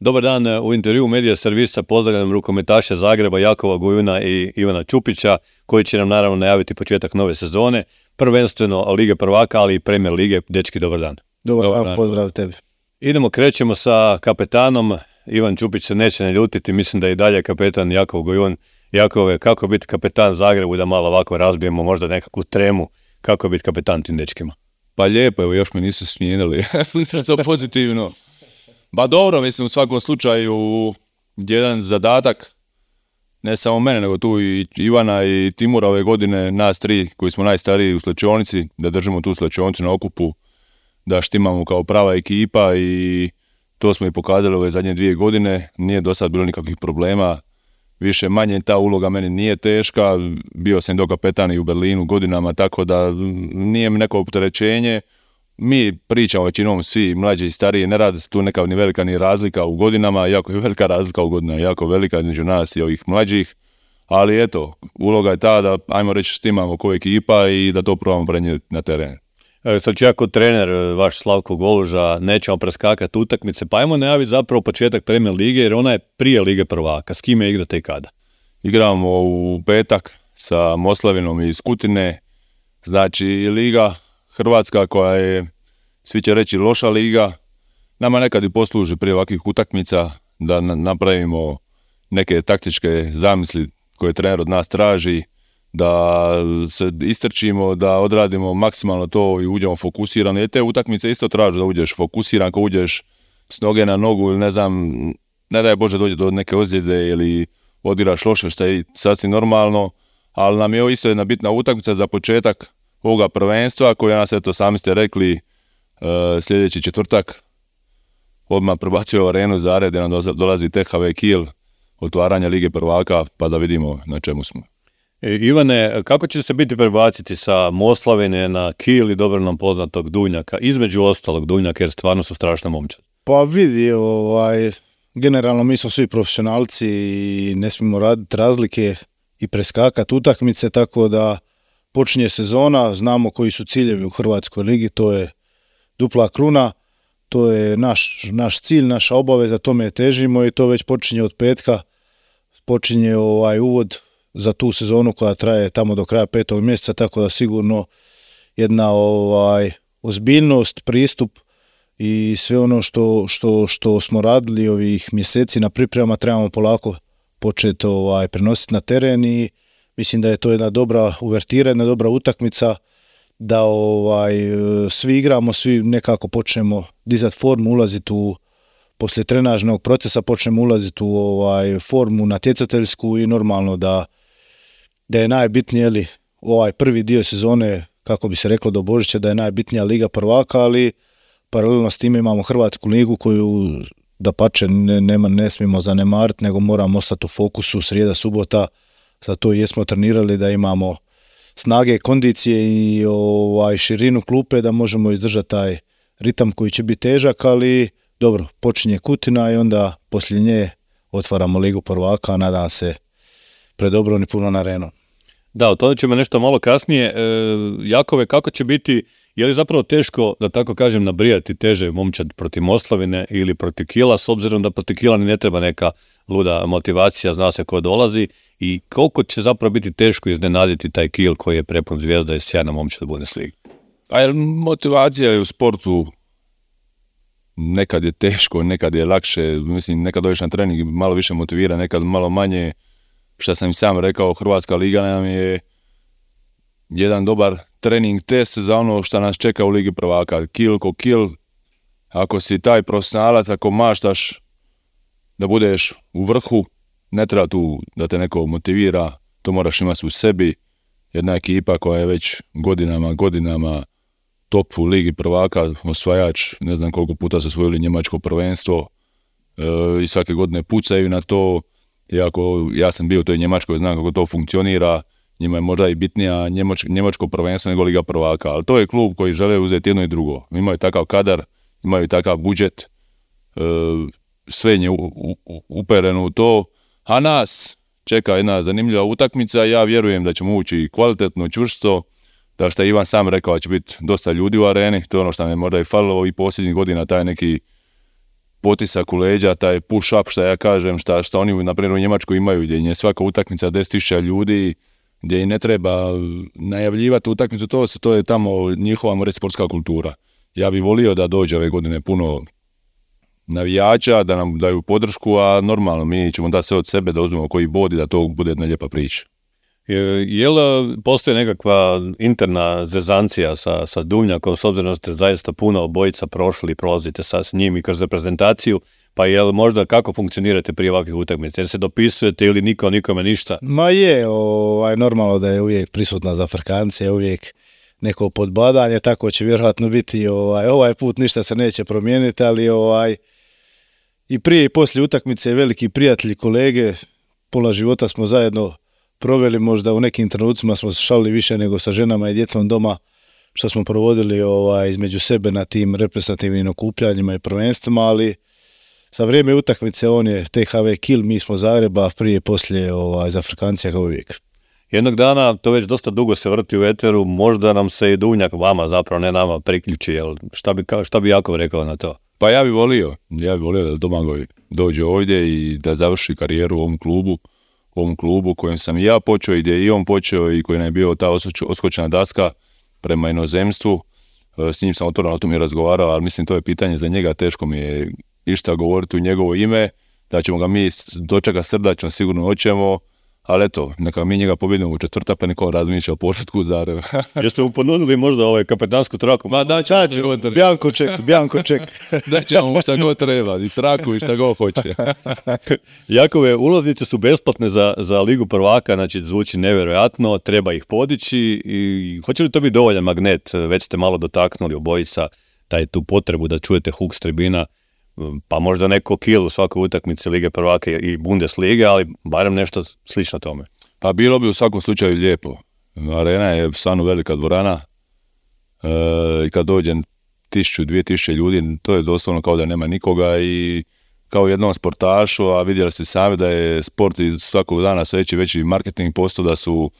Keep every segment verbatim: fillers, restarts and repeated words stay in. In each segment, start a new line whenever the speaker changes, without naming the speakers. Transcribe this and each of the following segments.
Dobar dan, u intervjuu Medija Servisa pozdravljam rukometaše Zagreba Jakova Gojuna i Ivana Čupića, koji će nam naravno najaviti početak nove sezone, prvenstveno Lige prvaka, ali i Premier Lige. Dečki, dobar dan.
Dobar, dobar dan, pozdrav tebi.
Idemo, krećemo sa kapetanom. Ivan Čupić se neće ne ljutiti, mislim da je i dalje kapetan Jakov Gojun. Jakove, kako biti kapetan Zagrebu, da malo ovako razbijemo možda nekakvu tremu, kako biti kapetan tim dečkima?
Pa lijepo, evo još me nisu smijenili, što pozitivno. Ba dobro, mislim u svakom slučaju jedan zadatak, ne samo mene, nego tu i Ivana i Timura ove godine, nas tri koji smo najstariji u slačionici, da držimo tu slačionicu na okupu, da štimamo kao prava ekipa i to smo i pokazali ove zadnje dvije godine, nije do sad bilo nikakvih problema, više manje ta uloga meni nije teška, bio sam do kapetan i u Berlinu godinama, tako da nije mi neko opterećenje. Mi pričamo većinom svi mlađi i stariji, ne radi se tu neka ni velika ni razlika u godinama, jako je velika razlika u godinama, jako velika između nas i ovih mlađih, ali eto, uloga je ta da, ajmo reći, štimamo ko ekipa i da to probamo prenijeti na teren.
Evo, sad ću ja kao trener, vaš Slavko Goluža, nećemo preskakati utakmice, pa ajmo najaviti zapravo početak Premier Lige, jer ona je prije Lige prvaka. S kime igrate i kada?
Igramo u petak sa Moslavinom iz Kutine, znači Liga Hrvatska koja je, svi će reći, loša liga, nama nekad i posluži prije ovakvih utakmica da napravimo neke taktičke zamisli koje trener od nas traži, da se istrčimo, da odradimo maksimalno to i uđemo fokusirano. Jer te utakmice isto tražu da uđeš fokusiran, ako uđeš s noge na nogu ili ne znam, ne daj Bože dođe do neke ozljede ili odigraš loše, što je sasvim normalno, ali nam je ovo isto jedna bitna utakmica za početak ovoga prvenstva koja nas, eto sami ste rekli, uh, sljedeći četvrtak odmah prebacuje u arenu Zared gdje nam dolazi T H V Kiel, otvaranja Lige prvaka, pa da vidimo na čemu smo.
E, Ivane, kako će se biti prebaciti sa Moslavine na Kiel i dobro nam poznatog Dujnjaka, između ostalog Dujnjaka, jer stvarno su strašne momčad?
Pa vidi, ovaj, generalno mi smo svi profesionalci i ne smijemo raditi razlike i preskakati utakmice, tako da počinje sezona, znamo koji su ciljevi u Hrvatskoj ligi, to je dupla kruna, to je naš, naš cilj, naša obaveza, tome težimo i to već počinje od petka, počinje ovaj uvod za tu sezonu koja traje tamo do kraja petog mjeseca, tako da sigurno jedna ovaj ozbiljnost, pristup i sve ono što, što, što smo radili ovih mjeseci na pripremama trebamo polako početi ovaj, prenositi na teren i mislim da je to jedna dobra uvertira, jedna dobra utakmica da ovaj svi igramo, svi nekako počnemo dizati formu, ulaziti u poslije trenažnog procesa počnemo ulaziti u ovaj formu natjecateljsku i normalno da da je najbitnije li ovaj prvi dio sezone, kako bi se reklo do Božića, da je najbitnija Liga prvaka, ali paralelno s time imamo Hrvatsku ligu koju dapače ne, ne, ne smijemo zanemariti, nego moramo ostati u fokusu srijeda, subota. Zato i jesmo trenirali da imamo snage, kondicije i ovaj širinu klupe da možemo izdržati taj ritam koji će biti težak, ali dobro, počinje Kutina i onda poslije nje otvaramo Ligu prvaka, a nadam se predobro ni puno na arenu.
Da, o tome ćemo nešto malo kasnije. E, Jakove, kako će biti, je li zapravo teško, da tako kažem, nabrijati teže momčad protiv Moslavine ili protiv Kiela, s obzirom da protiv Kiela ni ne treba neka luda motivacija, zna se ko dolazi, i koliko će zapravo biti teško iznenaditi taj Kiel koji je prepun zvijezda i sjajna momčad Bundesliga?
A jer motivacija je u sportu, nekad je teško, nekad je lakše, mislim, nekad dođeš na trening i malo više motivira, nekad malo manje. Što sam i sam rekao, Hrvatska liga nam je jedan dobar trening test za ono što nas čeka u Ligi prvaka. Kiel ko Kiel, ako si taj profesionalac, ako maštaš da budeš u vrhu, ne treba tu da te neko motivira, to moraš imati u sebi. Jedna ekipa koja je već godinama, godinama top u Ligi prvaka, osvajač, ne znam koliko puta su osvojili njemačko prvenstvo e, i svake godine pucaju na to. Iako ja sam bio u toj Njemačkoj, znam kako to funkcionira, njima je možda i bitnija njemač, njemačko prvenstvo nego Liga prvaka, ali to je klub koji žele uzeti jedno i drugo. Imaju takav kadar, imaju takav budžet, e, sve je u, u, upereno u to, a nas čeka jedna zanimljiva utakmica. Ja vjerujem da ćemo ući kvalitetno, čvrsto, da što je Ivan sam rekao da će biti dosta ljudi u areni, to je ono što nam je možda i falilo i posljednjih godina, taj neki potisak u leđa, taj push up što ja kažem, šta, šta oni na primjer u Njemačkoj imaju, gdje je svaka utakmica deset tisuća ljudi, gdje i ne treba najavljivati utakmicu, to, to je tamo njihova reći sportska kultura. Ja bih volio da dođe ove godine puno navijača, da nam daju podršku, a normalno mi ćemo dati sve od sebe da uzmemo koji bod i da to bude jedna lijepa priča.
Je, je li postoji nekakva interna zezancija sa, sa Duvnjakom, s obzirom da ste zaista puno obojica prošli i prolazite sa s njim i kroz reprezentaciju, pa je li možda kako funkcionirate prije ovakvih utakmica? Jer se dopisujete ili niko nikome ništa?
Ma je, ovaj, normalno da je uvijek prisutna za Frkance, uvijek neko podbadanje, tako će vjerojatno biti ovaj, ovaj put ništa se neće promijeniti, ali ovaj, i prije i poslije utakmice veliki prijatelji, kolege, pola života smo zajedno proveli, možda u nekim trenucima smo se šalili više nego sa ženama i djecom doma, što smo provodili ovaj, između sebe na tim reprezentativnim okupljanjima i prvenstvima, ali za vrijeme utakmice on je T H V Kiel, mi smo Zagreba, prije i poslije ovaj, za Frkancija kao uvijek.
Jednog dana, to već dosta dugo se vrti u eteru, možda nam se i Duvnjak, vama zapravo, ne nama, priključi, jel? Šta bi, šta bi Jakov rekao na to?
Pa ja bih volio, ja bih volio da Domagoj dođe ovdje i da završi karijeru u ovom klubu, u ovom klubu kojem sam i ja počeo i gdje je i on počeo i koji nam je bio ta oskočna daska prema inozemstvu. S njim sam otvoreno o tom i razgovarao, ali mislim to je pitanje za njega, teško mi je išta govoriti u njegovo ime, da ćemo ga mi dočekati srdačno, sigurno hoćemo, ali eto, neka mi njega pobjedimo u četvrtak, pa niko razmišlja o početku Zagreba.
Jeste mu ponudili možda ovaj kapetansku traku?
Ma da,
Čač, Bjanko ček, Bjanko ček.
Da ćemo mu šta god treba, i traku i šta god hoće.
Jakove, ulaznice su besplatne za, za Ligu prvaka, znači zvuči nevjerojatno, treba ih podići i hoće li to biti dovoljan magnet? Već ste malo dotaknuli obojica taj tu potrebu da čujete huk s tribina, pa možda neko Kiel u svakoj utakmici Lige prvaka i Bundeslige, ali barem nešto slično tome.
Pa bilo bi u svakom slučaju lijepo. Arena je stvarno velika dvorana e, i kad dođe tisuću, dvije tisuće ljudi, to je doslovno kao da nema nikoga i kao jednom sportašu, a vidjeli ste sami da je sport iz svakog dana sve veći veći marketing postao, da su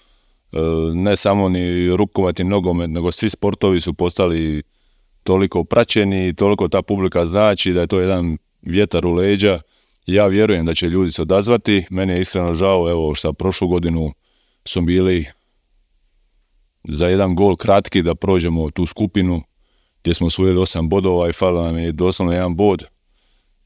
e, ne samo ni rukomet i nogomet, nego svi sportovi su postali toliko praćeni, toliko ta publika znači da je to jedan vjetar u leđa. Ja vjerujem da će ljudi se odazvati. Meni je iskreno žao, evo što prošlu godinu smo bili za jedan gol kratki da prođemo tu skupinu gdje smo osvojili osam bodova i falio nam je doslovno jedan bod.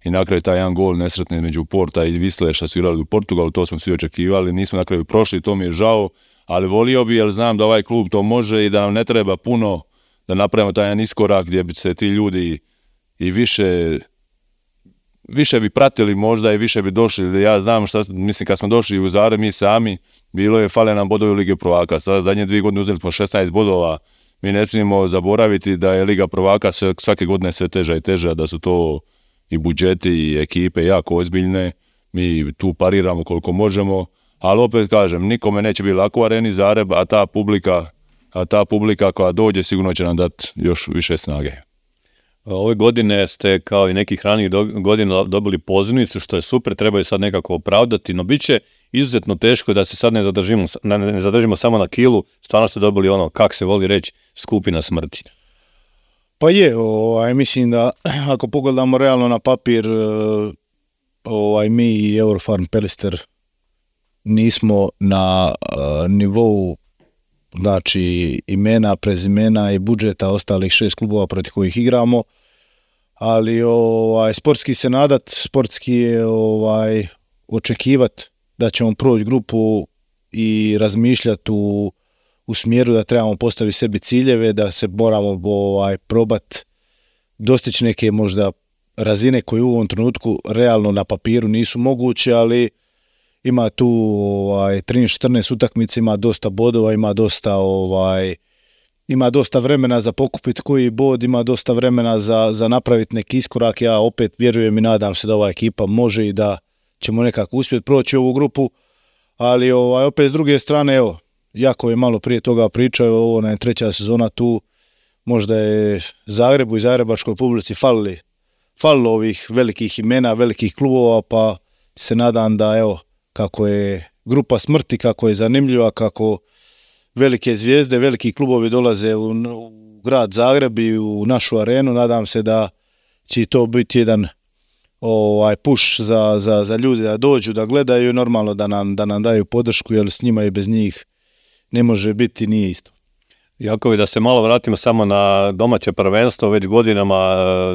I na kraju taj jedan gol nesretni među Porta i Visle što su igrali u Portugalu, to smo svi očekivali, nismo na kraju prošli, to mi je žao, ali volio bi jer znam da ovaj klub to može i da nam ne treba puno da napravimo taj jedan iskorak gdje bi se ti ljudi i više više bi pratili možda i više bi došli. Ja znam šta, mislim kad smo došli u Zagreb mi sami, bilo je fale nam bodovi u Lige prvaka. Sada zadnje dvije godine uzeli smo šesnaest bodova. Mi ne smijemo zaboraviti da je Liga prvaka svake godine sve teža i teža, da su to i budžeti i ekipe jako ozbiljne. Mi tu pariramo koliko možemo, ali opet kažem, nikome neće biti lako u Areni Zagreb, a ta publika a ta publika koja dođe sigurno će nam dati još više snage.
Ove godine ste kao i nekih ranijih godina dobili pozivnicu, što je super, trebaju sad nekako opravdati, no bit će izuzetno teško da se sad ne zadržimo, ne zadržimo samo na Kielu, stvarno ste dobili ono, kak se voli reći, skupina smrti.
Pa je, ovaj, mislim da ako pogledamo realno na papir, ovaj, mi i Eurofarm Pelister nismo na uh, nivou znači imena, prezimena i budžeta ostalih šest klubova protiv kojih igramo, ali ovaj, sportski se nadat, sportski je ovaj, očekivat da ćemo proći grupu i razmišljati u, u smjeru da trebamo postaviti sebi ciljeve, da se moramo ovaj, probat dostići neke možda razine koje u ovom trenutku realno na papiru nisu moguće, ali ima tu ovaj, trinaest četrnaest utakmica, ima dosta bodova, ima dosta ovaj, ima dosta vremena za pokupiti koji bod, ima dosta vremena za, za napraviti neki iskorak. Ja opet vjerujem i nadam se da ova ekipa može i da ćemo nekako uspjeti proći ovu grupu, ali ovaj, opet s druge strane, evo, jako je malo prije toga pričao, ovo je treća sezona tu, možda je Zagrebu i zagrebačkoj publici falili, falilo ovih velikih imena, velikih klubova, pa se nadam da, evo, kako je grupa smrti, kako je zanimljiva, kako velike zvijezde, veliki klubovi dolaze u, u grad Zagreb i u našu arenu, nadam se da će to biti jedan ovaj push za, za, za ljude da dođu, da gledaju, normalno da nam, da nam daju podršku, jer s njima i bez njih ne može biti, nije isto.
Jakovi, da se malo vratimo samo na domaće prvenstvo, već godinama,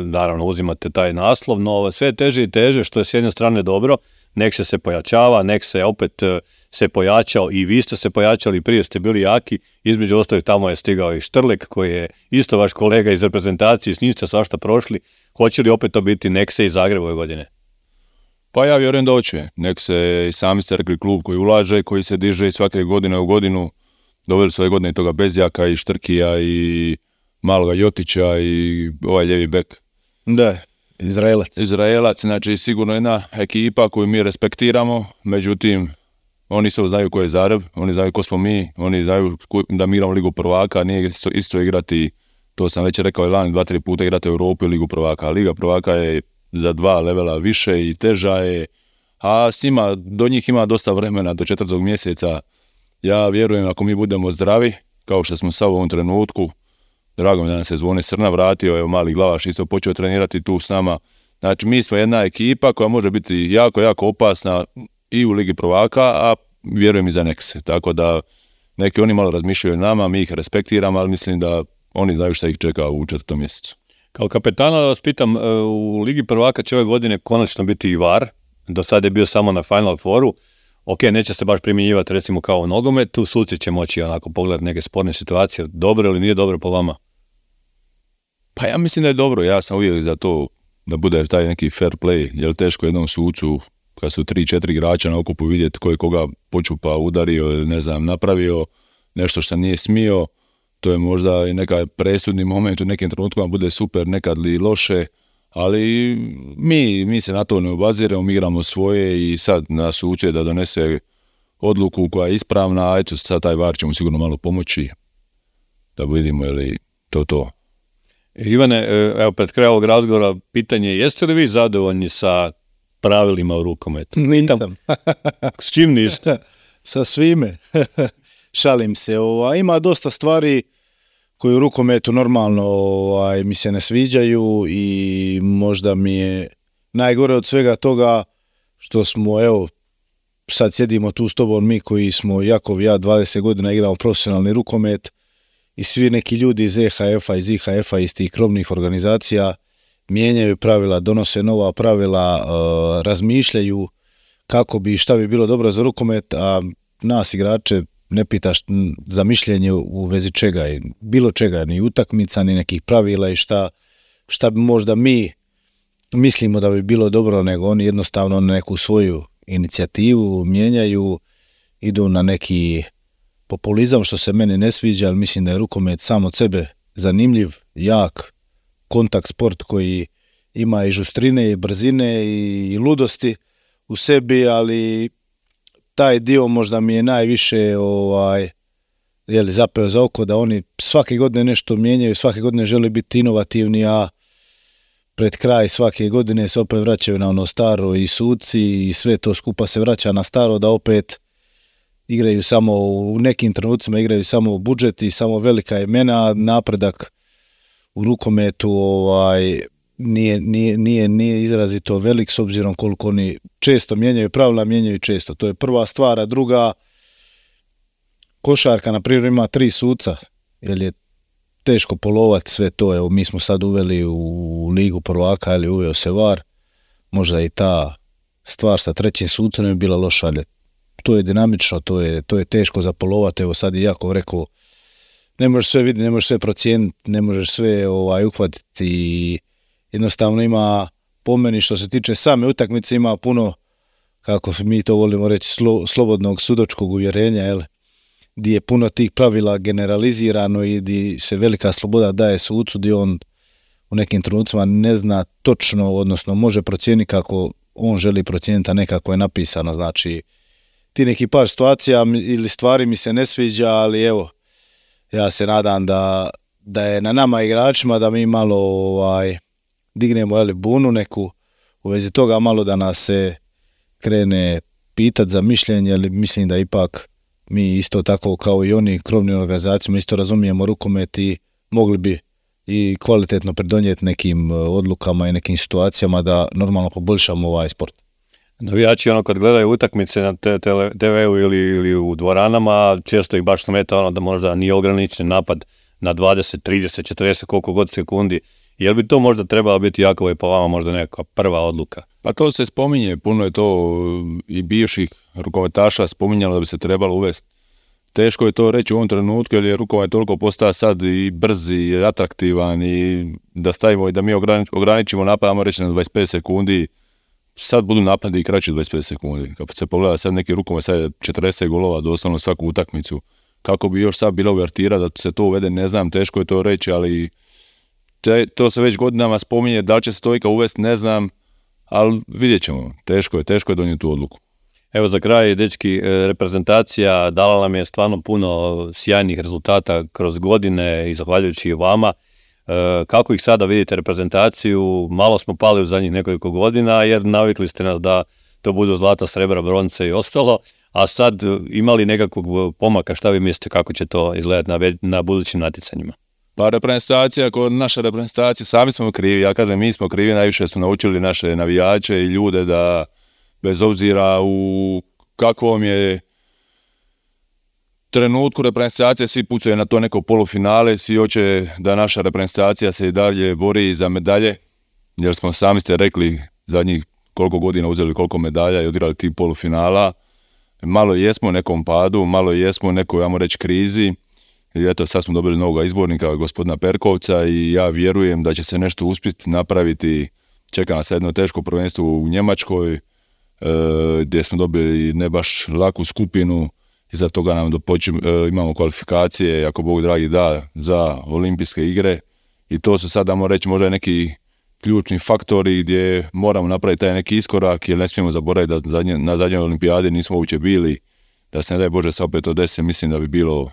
naravno, uzimate taj naslov, no sve teže i teže, što je s jedne strane dobro, nek se se pojačava, nek se opet se pojačao i vi ste se pojačali, prije ste bili jaki, između ostalih tamo je stigao i Štrlek, koji je isto vaš kolega iz reprezentacije, s njim ste svašta prošli, hoće li opet to biti Nekse i Zagreb ove godine?
Pa ja vjerujem da hoće, nek se i sami ste rekli klub koji ulaže, koji se diže svake godine u godinu, doveli su ove godine i toga Bezjaka i Štrkija i maloga Jotića i ovaj ljevi bek.
Da, Izraelac.
Izraelac, znači sigurno jedna ekipa koju mi respektiramo, međutim, oni se znaju ko je Zagreb, oni znaju ko smo mi, oni znaju da mi igramo Ligu prvaka, nije isto, isto igrati, to sam već rekao i lani, dva, tri puta igrati u Europu i Ligu prvaka. Liga prvaka je za dva levela više i teža je, a s njima, do njih ima dosta vremena, do četvrtog mjeseca. Ja vjerujem ako mi budemo zdravi, kao što smo sad u ovom trenutku, drago mi da nam se Zvone Srna vratio, evo mali Glavaš isto počeo trenirati tu s nama. Znači mi smo jedna ekipa koja može biti jako, jako opasna i u Ligi prvaka, a vjerujem i za Nekse. Tako da neki oni malo razmišljaju o nama, mi ih respektiramo, ali mislim da oni znaju šta ih čeka u četvrtom mjesecu.
Kao kapetana da vas pitam, u Ligi prvaka će ove godine konačno biti i V A R, do sada je bio samo na Final Fouru. Ok, neće se baš primjenjivati recimo kao u nogometu, suci će moći onako pogledati neke sporne situacije, dobro ili nije dobro po vama?
Pa ja mislim da je dobro, ja sam uvijek za to da bude taj neki fair play, jer teško jednom sucu kad su tri, četiri igrača na okupu vidjeti ko je koga počupa, udario ili ne znam, napravio nešto što nije smio, to je možda i neka presudni moment u nekim trenutkama bude super, nekad li loše, ali mi, mi se na to ne obaziremo, mi igramo svoje i sad nas uče da donese odluku koja je ispravna, a eto sad taj V A R će mu sigurno malo pomoći da vidimo je li to to.
Ivane, evo pred kraj ovog razgovora pitanje, jeste li vi zadovoljni sa pravilima u rukometu?
Nisam.
S čim niste?
Sa svime. Šalim se. Ovaj, ima dosta stvari koji u rukometu normalno ovaj, mi se ne sviđaju i možda mi je najgore od svega toga što smo, evo, sad sjedimo tu s tobom mi koji smo, Jakov i ja, dvadeset godina igramo profesionalni rukomet i svi neki ljudi iz E H F-a, iz I H F-a, iz tih krovnih organizacija mijenjaju pravila, donose nova pravila, uh, razmišljaju kako bi, šta bi bilo dobro za rukomet, a nas igrače ne pitaš za mišljenje u vezi čega, bilo čega, ni utakmica, ni nekih pravila i šta, šta bi možda mi mislimo da bi bilo dobro, nego oni jednostavno neku svoju inicijativu mijenjaju, idu na neki populizam što se meni ne sviđa, ali mislim da je rukomet sam od sebe zanimljiv, jak, kontakt sport koji ima i žustrine i brzine i, i ludosti u sebi, ali taj dio možda mi je najviše ovaj, jeli, zapeo za oko da oni svake godine nešto mijenjaju, svake godine žele biti inovativni, a pred kraj svake godine se opet vraćaju na ono staro i suci i sve to skupa se vraća na staro, da opet igraju samo u nekim trenucima, igraju samo u budžet i samo velika imena, napredak u rukometu ovaj, nije, nije, nije, nije izrazito velik s obzirom koliko oni često mijenjaju pravila, mijenjaju često. To je prva stvar, a druga, košarka na primjer ima tri suca, jer je teško polovati sve to. Evo, mi smo sad uveli u Ligu prvaka, ili uveo se V A R, možda i ta stvar sa trećim sucem je bila loša, ali to je dinamično, to je, to je teško za polovati. Evo sad i Jakov rekao, ne možeš sve vidjeti, ne možeš sve procijeniti, ne možeš sve ovaj, uhvatiti i jednostavno ima, po meni što se tiče same utakmice, ima puno, kako mi to volimo reći, slo, slobodnog sudačkog uvjerenja, jel? Gdje je puno tih pravila generalizirano i gdje se velika sloboda daje sucu, gdje on u nekim trenucima ne zna točno, odnosno može procijeniti kako on želi procijeniti, a ne kako je napisano. Znači, ti neki par situacija ili stvari mi se ne sviđa, ali evo, ja se nadam da, da je na nama igračima da mi malo ovaj, dignemo jeli, bunu neku u vezi toga, malo da nas se krene pitati za mišljenje, ali mislim da ipak mi isto tako kao i oni krovni organizacijama isto razumijemo rukomet i mogli bi i kvalitetno pridonijeti nekim odlukama i nekim situacijama da normalno poboljšamo ovaj sport.
Navijači ono kad gledaju utakmice na te ve u ili, ili u dvoranama, često ih baš smeta ono da možda nije ograničen napad na dvadeset, trideset, četrdeset, koliko god sekundi. Jel bi to možda trebalo biti Jakova i po vama možda neka prva odluka?
Pa to se spominje, puno je to i bivših rukometaša spominjalo da bi se trebalo uvesti. Teško je to reći u ovom trenutku jer je rukomet toliko postao sad i brz i atraktivan i da stavimo i da mi ograničimo napad, ajmo reći na dvadeset pet sekundi, sad budu napadi i kraći dvadeset pet sekundi. Kad se pogleda sad neki rukomet, sad je četrdeset golova doslovno svaku utakmicu. Kako bi još sad bila uvertira da se to uvede, ne znam, teško je to reći, ali te, to se već godinama spominje, da li će se to ikad uvesti, ne znam, ali vidjet ćemo, teško je, teško je donijeti tu odluku.
Evo za kraj, dečki, reprezentacija dala nam je stvarno puno sjajnih rezultata kroz godine i zahvaljujući i vama. Kako ih sada vidite reprezentaciju? Malo smo pali u zadnjih nekoliko godina jer navikli ste nas da to budu zlata, srebra, bronce i ostalo, a sad imali nekakvog pomaka, šta vi mislite kako će to izgledati na, na budućim natjecanjima?
Pa reprezentacija, kod naša reprezentacija, sami smo krivi, ja kažem mi smo krivi, najviše smo naučili naše navijače i ljude da bez obzira u kakvom je trenutku reprezentacije, svi pucaju na to neko polufinale, svi hoće da naša reprezentacija se i dalje bori za medalje, jer smo sami ste rekli zadnjih koliko godina uzeli koliko medalja i odigrali tih polufinala. Malo jesmo u nekom padu, malo jesmo u nekoj, ajmo reći, krizi. I eto, sad smo dobili novog izbornika, gospodina Perkovca, i ja vjerujem da će se nešto uspjeti napraviti. Čeka nas jedno teško prvenstvo u Njemačkoj, e, gdje smo dobili ne baš laku skupinu. Iza toga nam dopočim, e, imamo kvalifikacije, ako Bog dragi da, za olimpijske igre. I to su sad, damo reći, možda neki ključni faktori gdje moramo napraviti taj neki iskorak, jer ne smijemo zaboraviti da zadnje, na zadnjoj olimpijadi nismo uopće bili. Da se ne daj Bože sa opet to desi, mislim da bi bilo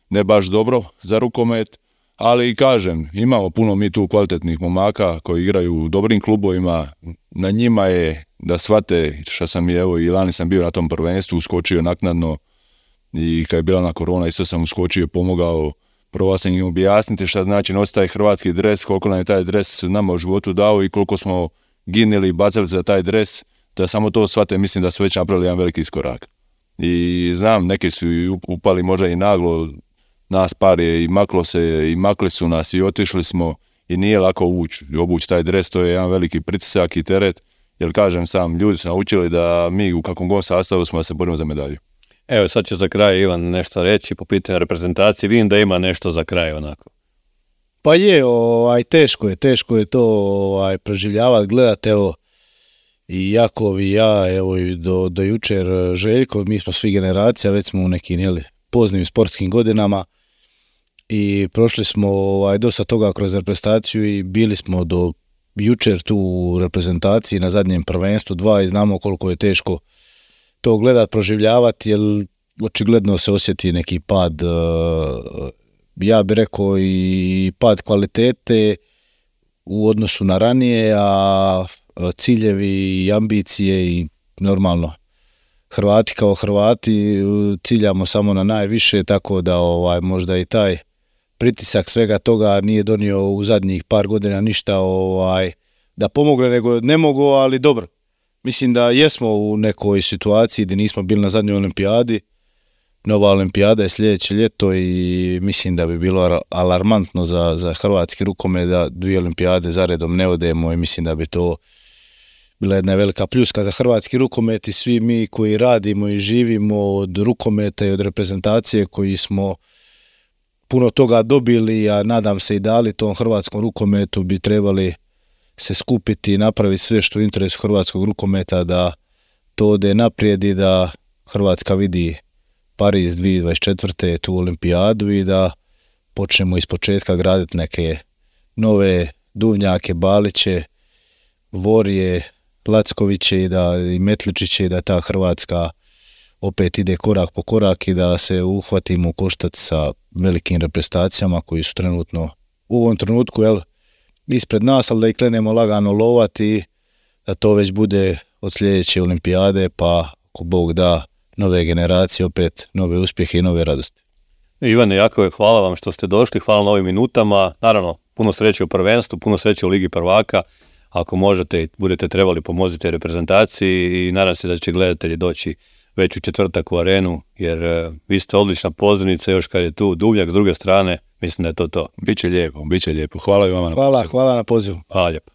ne baš dobro za rukomet, ali kažem, imamo puno mi tu kvalitetnih momaka koji igraju u dobrim klubovima, na njima je da shvate što sam i evo i lani sam bio na tom prvenstvu, uskočio naknadno i kad je bila na korona isto sam uskočio, pomogao, probao sam im objasniti šta znači nositi taj hrvatski dres, koliko nam je taj dres nama u životu dao i koliko smo ginili i bacali za taj dres, da samo to shvate, mislim da su već napravili jedan veliki iskorak. I znam, neki su upali možda i naglo, nas par je i maklo se, i makli su nas i otišli smo i nije lako ući i obući taj dres, to je jedan veliki pritisak i teret, jer kažem sam, ljudi su naučili da mi u kakvom god sastavu smo da se borimo za medalju.
Evo sad će za kraj Ivan nešto reći po pitanju reprezentacije, vidim da ima nešto za kraj onako.
Pa je, ovaj, teško je, teško je to ovaj, proživljavati, gledati, evo, i Jakov i ja, evo i do, do jučer Željko, mi smo svi generacija, već smo u nekim jeli, poznim sportskim godinama i prošli smo ovaj, dosta toga kroz reprezentaciju i bili smo do jučer tu u reprezentaciji na zadnjem prvenstvu dva i znamo koliko je teško to gledati, proživljavati, jer očigledno se osjeti neki pad, ja bih rekao i pad kvalitete u odnosu na ranije, a ciljevi i ambicije i normalno Hrvati kao Hrvati ciljamo samo na najviše, tako da ovaj možda i taj pritisak svega toga nije donio u zadnjih par godina ništa ovaj da pomogne, nego ne mogu, ali dobro. Mislim da jesmo u nekoj situaciji gdje nismo bili na zadnjoj olimpijadi. Nova olimpijada je sljedeće ljeto i mislim da bi bilo alarmantno za, za hrvatski rukomet da dvije olimpijade zaredom ne odemo i mislim da bi to bila jedna velika pljuska za hrvatski rukomet i svi mi koji radimo i živimo od rukometa i od reprezentacije koji smo puno toga dobili, a nadam se i dali tom hrvatskom rukometu, bi trebali se skupiti i napraviti sve što je u interesu hrvatskog rukometa da to ode naprijed i da Hrvatska vidi Pariz dvije tisuće dvadeset četvrte tu olimpijadu i da počnemo iz početka graditi neke nove Duvnjake, Baliće, Vorje, Lackoviće i da i Metličiće i da ta Hrvatska opet ide korak po korak i da se uhvatimo u koštac sa velikim reprezentacijama koji su trenutno u ovom trenutku jel, ispred nas, ali da ih krenemo lagano lovati, da to već bude od sljedeće olimpijade, pa ako Bog da nove generacije, opet nove uspjehe i nove radosti.
Ivane, Jakove, hvala vam što ste došli, hvala na ovim minutama. Naravno, puno sreće u prvenstvu, puno sreće u Ligi prvaka. Ako možete i budete trebali, pomozite reprezentaciji i nadam se da će gledatelji doći već u četvrtak u arenu, jer uh, vi ste odlična pozivnica, još kad je tu Duvnjak s druge strane, mislim da je to to.
Biće lijepo, biće lijepo. Hvala i vama na
Hvala,
pozivu.
hvala na pozivu.
Hvala lijepo.